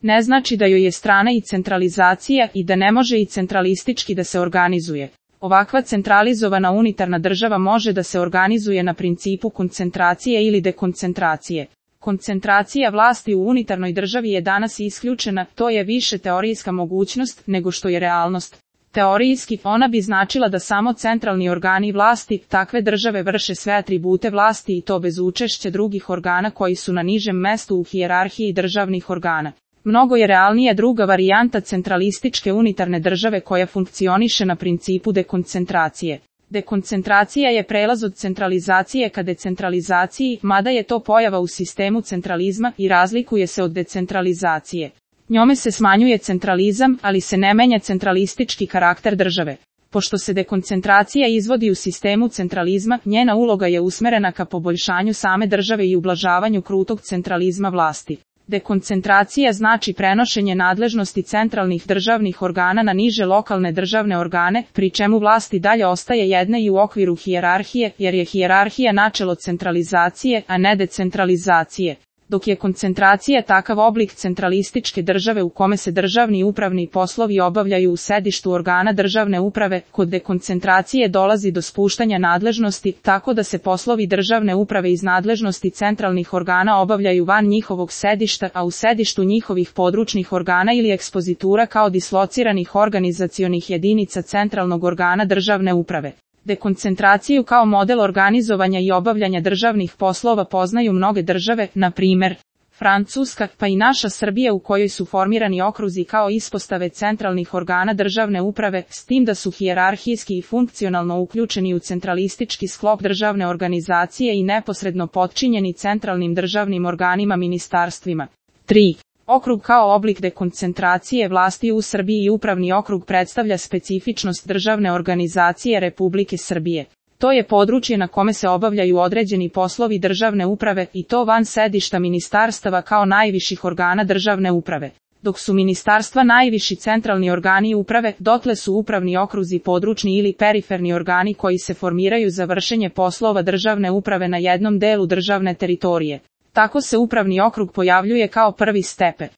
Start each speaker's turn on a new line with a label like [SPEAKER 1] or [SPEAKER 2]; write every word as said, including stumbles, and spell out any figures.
[SPEAKER 1] ne znači da joj je strana i centralizacija i da ne može i centralistički da se organizuje. Ovakva centralizovana unitarna država može da se organizuje na principu koncentracije ili dekoncentracije. Koncentracija vlasti u unitarnoj državi je danas isključena, to je više teorijska mogućnost nego što je realnost. Teorijski, ona bi značila da samo centralni organi vlasti takve države vrše sve atribute vlasti i to bez učešća drugih organa koji su na nižem mestu u hijerarhiji državnih organa. Mnogo je realnija druga varijanta centralističke unitarne države koja funkcioniše na principu dekoncentracije. Dekoncentracija je prelaz od centralizacije ka decentralizaciji, mada je to pojava u sistemu centralizma i razlikuje se od decentralizacije. Njome se smanjuje centralizam, ali se ne menja centralistički karakter države. Pošto se dekoncentracija izvodi u sistemu centralizma, njena uloga je usmerena ka poboljšanju same države i ublažavanju krutog centralizma vlasti. Dekoncentracija znači prenošenje nadležnosti centralnih državnih organa na niže lokalne državne organe, pri čemu vlast i dalje ostaje jedna i u okviru hijerarhije, jer je hijerarhija načelo centralizacije, a ne decentralizacije. Dok je koncentracija takav oblik centralističke države u kome se državni i upravni poslovi obavljaju u sedištu organa državne uprave, kod dekoncentracije dolazi do spuštanja nadležnosti, tako da se poslovi državne uprave iz nadležnosti centralnih organa obavljaju van njihovog sedišta, a u sedištu njihovih područnih organa ili ekspozitura kao dislociranih organizacionih jedinica centralnog organa državne uprave. Dekoncentraciju kao model organizovanja i obavljanja državnih poslova poznaju mnoge države, na primjer Francuska, pa i naša Srbija u kojoj su formirani okruzi kao ispostave centralnih organa državne uprave, s tim da su hijerarhijski i funkcionalno uključeni u centralistički sklop državne organizacije i neposredno potčinjeni centralnim državnim organima ministarstvima. tri. Okrug kao oblik dekoncentracije vlasti u Srbiji i upravni okrug predstavlja specifičnost državne organizacije Republike Srbije. To je područje na kome se obavljaju određeni poslovi državne uprave i to van sedišta ministarstava kao najviših organa državne uprave. Dok su ministarstva najviši centralni organi uprave, dotle su upravni okruzi područni ili periferni organi koji se formiraju za vršenje poslova državne uprave na jednom delu državne teritorije. Tako se upravni okrug pojavljuje kao prvi stepen.